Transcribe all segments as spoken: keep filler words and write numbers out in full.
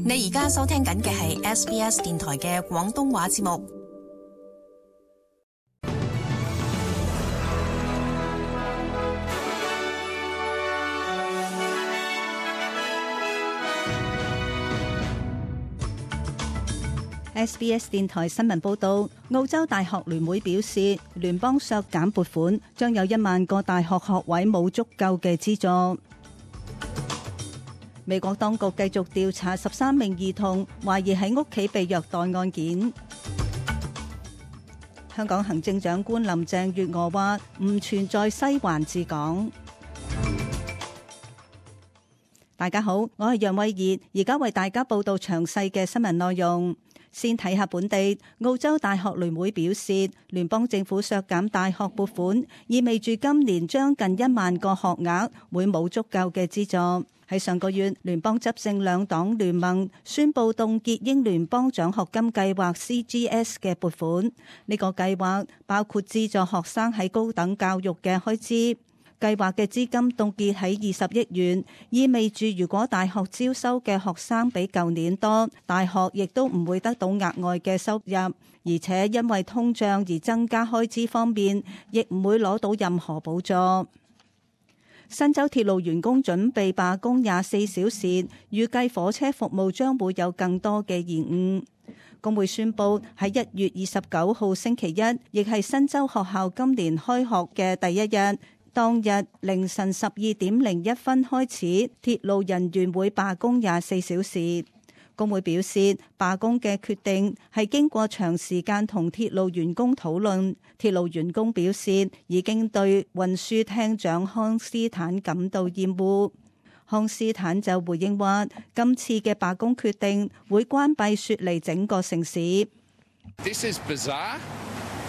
你而家收聽緊嘅係 S B S 電台嘅廣東話節目。S B S 電台新聞報道，澳洲大學聯會表示，聯邦削減撥款，將有一萬個大學學位冇足夠嘅資助。美國當局繼續調查十三名兒童懷疑喺屋企被虐待案件。香港行政長官林鄭月娥話唔存在西環治港。大家好，我係楊慧儀，而家為大家報道詳細嘅新聞內容。先睇下本地，澳洲大學聯會表示，聯邦政府削減大學撥款，意味住今年將近一萬個學額會冇足夠嘅資助。喺上個月，聯邦執政兩黨聯盟宣布凍結英聯邦獎學金計劃 C G S 嘅撥款。呢個計劃包括資助學生喺高等教育嘅開支。計劃嘅資金凍結喺二十億元，意味住如果大學招收嘅學生比舊年多，大學亦都唔會得到額外嘅收入，而且因為通脹而增加開支方面，亦唔會攞到任何補助。新州鐵路員工準備罷工廿四小時，預計火車服務將會有更多嘅延誤。工會宣布喺一月二十九號星期一，亦係新州學校今年開學嘅第一日。當日凌晨十二點零一分開始，鐵路人員會罷工廿四小時。工會表示，罷工嘅決定係經過長時間同鐵路員工討論。鐵路員工表示，已經對運輸廳長康斯坦感到厭惡。康斯坦就回應話，今次嘅罷工決定會關閉雪梨整個城市。This is bizarre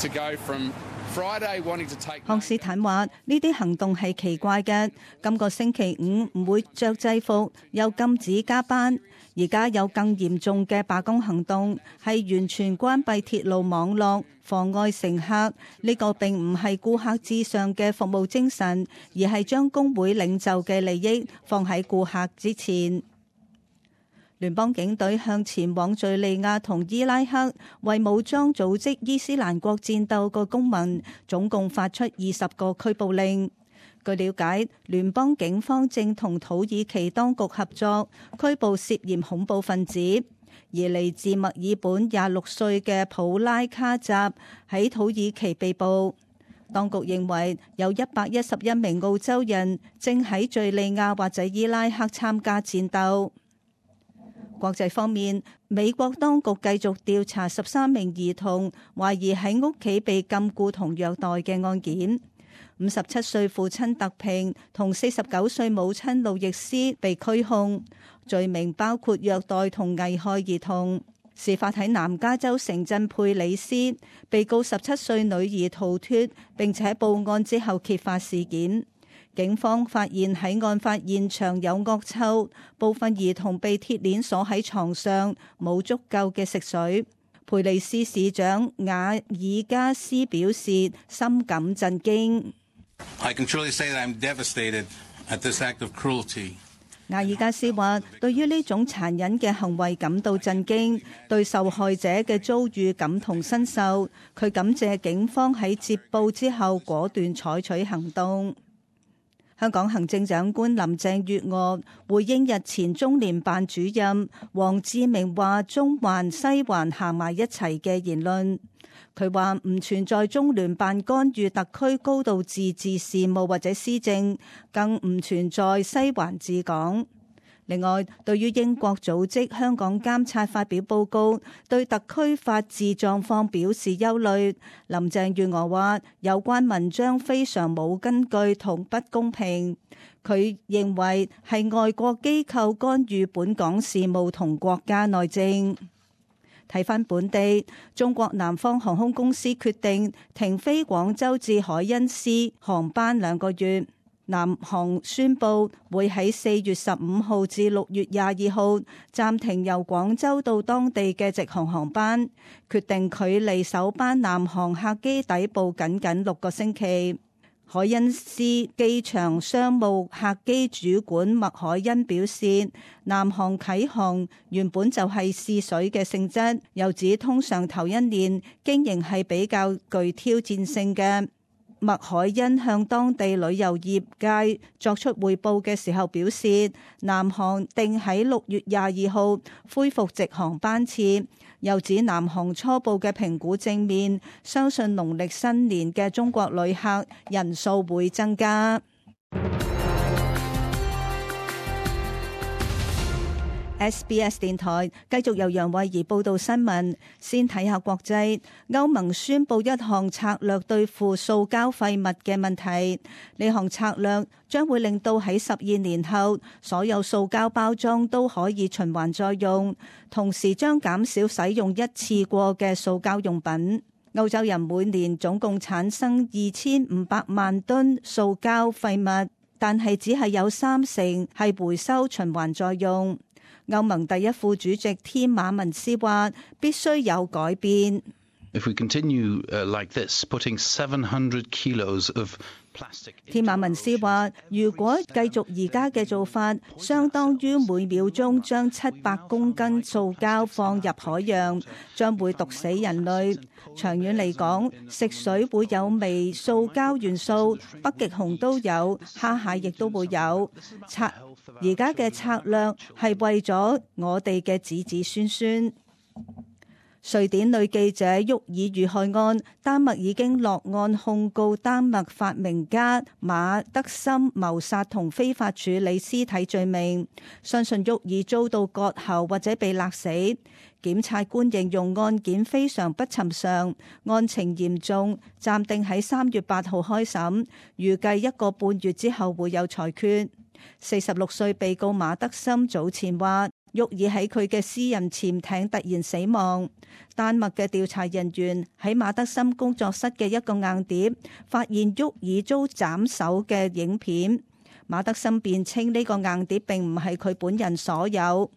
to go from Take... 康斯坦話：呢啲行動係奇怪嘅。今個星期五唔會着制服，又禁止加班。而家有更嚴重嘅罷工行動，係完全關閉鐵路網絡，妨礙乘客。呢個並唔係顧客至上嘅服務精神，而係將工會領袖嘅利益放喺顧客之前。聯邦警隊向前往敘利亞同伊拉克為武裝組織伊斯蘭國戰鬥嘅公民，總共發出二十個拘捕令。據了解，聯邦警方正同土耳其當局合作，拘捕涉嫌恐怖分子。而嚟自墨爾本廿六歲嘅普拉卡扎喺土耳其被捕。當局認為有一百一十一名澳洲人正喺敘利亞或者伊拉克參加戰鬥。國際方面，美國當局繼續調查十三名兒童懷疑喺屋企被禁錮同虐待嘅案件。五十七歲父親特平同四十九歲母親路易斯被拘控，罪名包括虐待同危害兒童。事發喺南加州城鎮佩里斯，被告十七歲女兒逃脫，並且報案之後揭發事件。警方發現喺案發現場有惡臭，部分兒童被鐵鏈鎖喺床上，冇足夠嘅食水。佩里斯市長瓦爾加斯表示深感震驚。I can truly say that I'm devastated at this act of cruelty. 瓦爾加斯話：對於呢種殘忍嘅行為感到震驚，對受害者嘅遭遇感同身受。佢感謝警方喺接報之後果斷採取行動。香港行政長官林鄭月娥回應日前中聯辦主任王志明話中環西環行埋一齊嘅言論，佢話唔存在中聯辦干預特區高度自治事務或者施政，更唔存在西環治港。另外，對於英國組織香港監察發表報告，對特區法治狀況表示憂慮。林鄭月娥話：有關文章非常冇根據同不公平。佢認為係外國機構干預本港事務同國家內政。睇返本地，中國南方航空公司決定停飛廣州至海恩斯航班兩個月。南航宣布會喺四月十五號至六月廿二號暫停由廣州到當地嘅直航航班，決定距離首班南航客機抵埗僅僅六個星期。凱恩斯機場商務客機主管麥凱恩表示，南航啟航原本就係試水嘅性質，又指通常頭一年經營係比較具挑戰性嘅。麥凱恩向當地旅遊業界作出匯報嘅時候表示，南航定喺六月廿二號恢復直航班次，又指南航初步嘅評估正面，相信農曆新年嘅中國旅客人數會增加。S B S 電台繼續由楊慧儀報道新聞。先睇下國際，歐盟宣布一項策略對付塑膠廢物嘅問題。呢項策略將會令到喺十二年後，所有塑膠包裝都可以循環再用，同時將減少使用一次過嘅塑膠用品。歐洲人每年總共產生二千五百萬噸塑膠廢物，但係只係有三成係回收循環再用。歐盟第一副主席添馬文斯話：必須有改變。If we continue, uh, like this, putting seven hundred kilos of plastic. 添馬文斯話：如果繼續而家嘅做法，相當於每秒鐘將七百公斤塑膠放入海洋，將會毒死人類。長遠嚟講，食水會有微塑膠元素，北極熊都有，蝦蟹亦都會有。策而家嘅策略係為咗我哋嘅子子孫孫。瑞典女記者沃爾遇害案，丹麥已經落案控告丹麥發明家馬德森謀殺同非法處理屍體罪名，相信沃爾遭到割喉或者被勒死。檢察官形容案件非常不尋常，案情嚴重，暫定喺三月八號開審，預計一個半月之後會有裁決。四十六歲被告馬德森早前話，沃爾喺佢嘅私人潛艇突然死亡。丹麥嘅調查人員喺馬德森工作室嘅一個硬碟發現沃爾遭斬首嘅影片。馬德森辯稱呢個硬碟並唔係佢本人所有。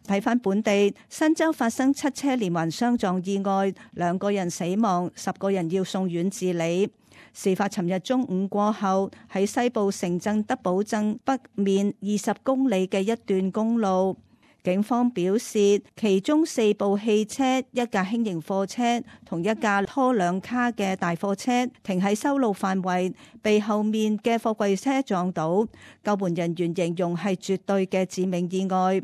睇返本地，新州發生七車連環相撞意外，兩個人死亡，十個人要送院治理。事發尋日中午過後，喺西部城鎮德堡鎮北面二十公里嘅一段公路。警方表示，其中四部汽車、一架輕型貨車同一架拖兩卡嘅大貨車停喺修路範圍，被後面嘅貨櫃車撞到。救援人員形容係絕對嘅致命意外。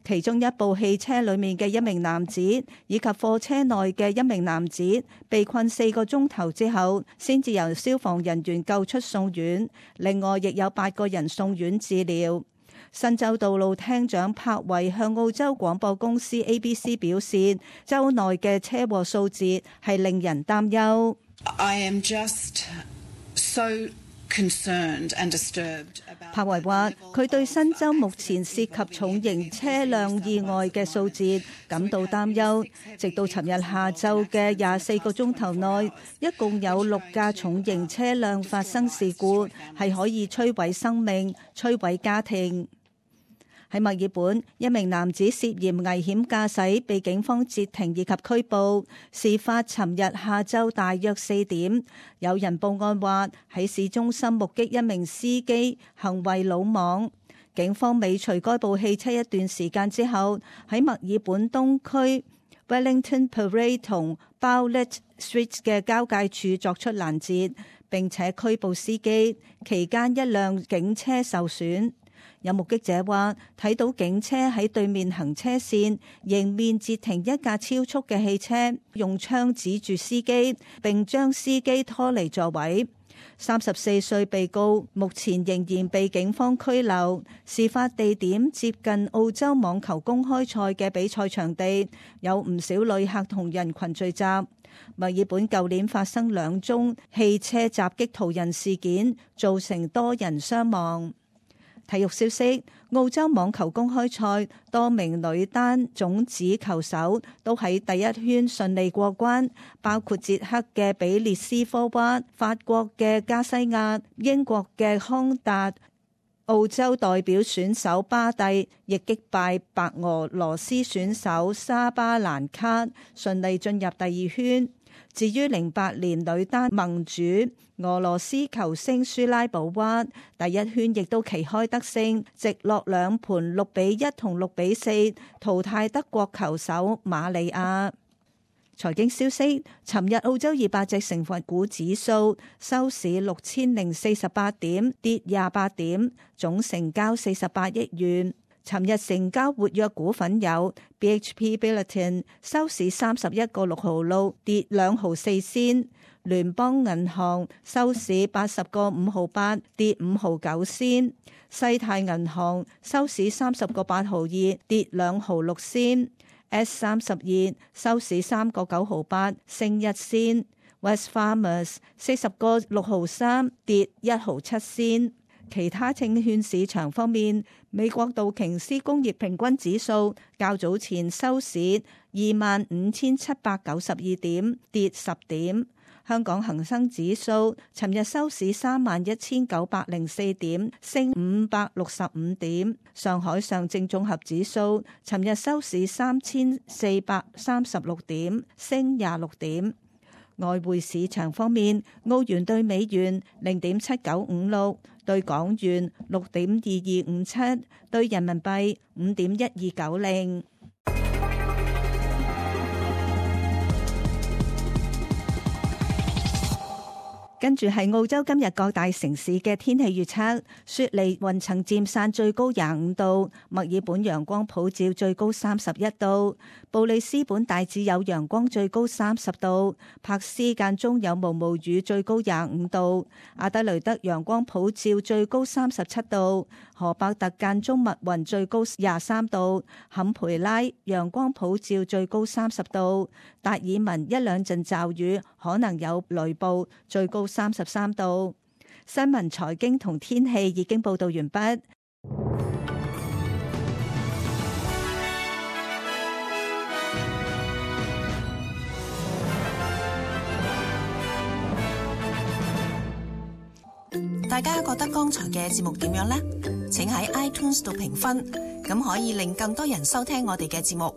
其中一部汽車裏面嘅一名男子以及貨車內嘅一名男子被困四個鐘頭之後，先至由消防人員救出送院。另外，亦有八個人送院治療。新州道路廳長柏維向澳洲廣播公司 A B C 表示，州內嘅車禍數字係令人擔憂。I am just so concerned and disturbed about。柏維話：佢對新州目前涉及重型車輛意外嘅數字感到擔憂。直到尋日下晝嘅廿四個鐘頭內，一共有六架重型車輛發生事故，係可以摧毀生命、摧毀家庭。喺墨爾本，一名男子涉嫌危險駕駛被警方截停以及拘捕。事發尋日下晝大約四點，有人報案話喺市中心目擊一名司機行為魯莽。警方尾隨該部汽車一段時間之後，喺墨爾本東區 Wellington Parade 同 Bowlet Street 嘅交界處作出攔截，並且拘捕司機。期間一輛警車受損。有目擊者話，睇到警車喺對面行車線迎面截停一架超速嘅汽車，用槍指住司機，並將司機拖離座位。三十四歲被告目前仍然被警方拘留。事發地點接近澳洲網球公開賽嘅比賽場地，有唔少旅客同人群聚集。墨爾本舊年發生兩宗汽車襲擊途人事件，造成多人傷亡。體育消息：澳洲網球公開賽多名女單種子球手都喺第一圈順利過關，包括捷克嘅比列斯科娃、法國嘅加西亞、英國嘅康達。澳洲代表選手巴蒂亦擊敗白俄羅斯選手沙巴蘭卡，順利進入第二圈。至於零八年女單盟主俄羅斯球星舒拉保娃，第一圈亦都旗開得勝，直落兩盤六比一同六比四淘汰德國球手瑪利亞。財經消息，尋日澳洲二百隻成分股指數收市六千零四十八點，跌廿八點，總成交四十八億元。尋日成交活躍股份有 B H P Billiton 收市三十一個六毫六，跌兩毫四仙；聯邦銀行收市八十個五毫八，跌五毫九仙；西太銀行收市三十個八毫二，跌兩毫六仙。S 三十二收市三個九毫八，升一仙。West Farmers 四十個六毫三，跌一毫七仙。其他證券市場方面，美國道瓊斯工業平均指數較早前收市二萬五千七百九十二點，跌十點。香港恒生指數尋日收市三萬一千九百零四點，升五百六十五點。上海上證綜合指數尋日收市三千四百三十六點，升廿六點。外匯市場方面，澳元對美元零點七九五六，對港元六點二二五七，對人民幣五點一二九零。跟住係澳洲今日各大城市嘅天氣預測：雪梨雲層漸散，最高廿五度；墨爾本陽光普照，最高三十一度；布里斯本大致有陽光，最高三十度；柏斯間中有毛毛雨，最高廿五度；阿德雷德陽光普照，最高三十七度；荷伯特間中密雲，最高廿三度；坎培拉陽光普照，最高三十度；達爾文一兩陣驟雨，可能有雷暴，最高三十三度。新聞、財經同天氣已經報道完畢。大家覺得剛才嘅節目點樣呢？請喺 iTunes 度評分，咁可以令更多人收聽我哋嘅節目。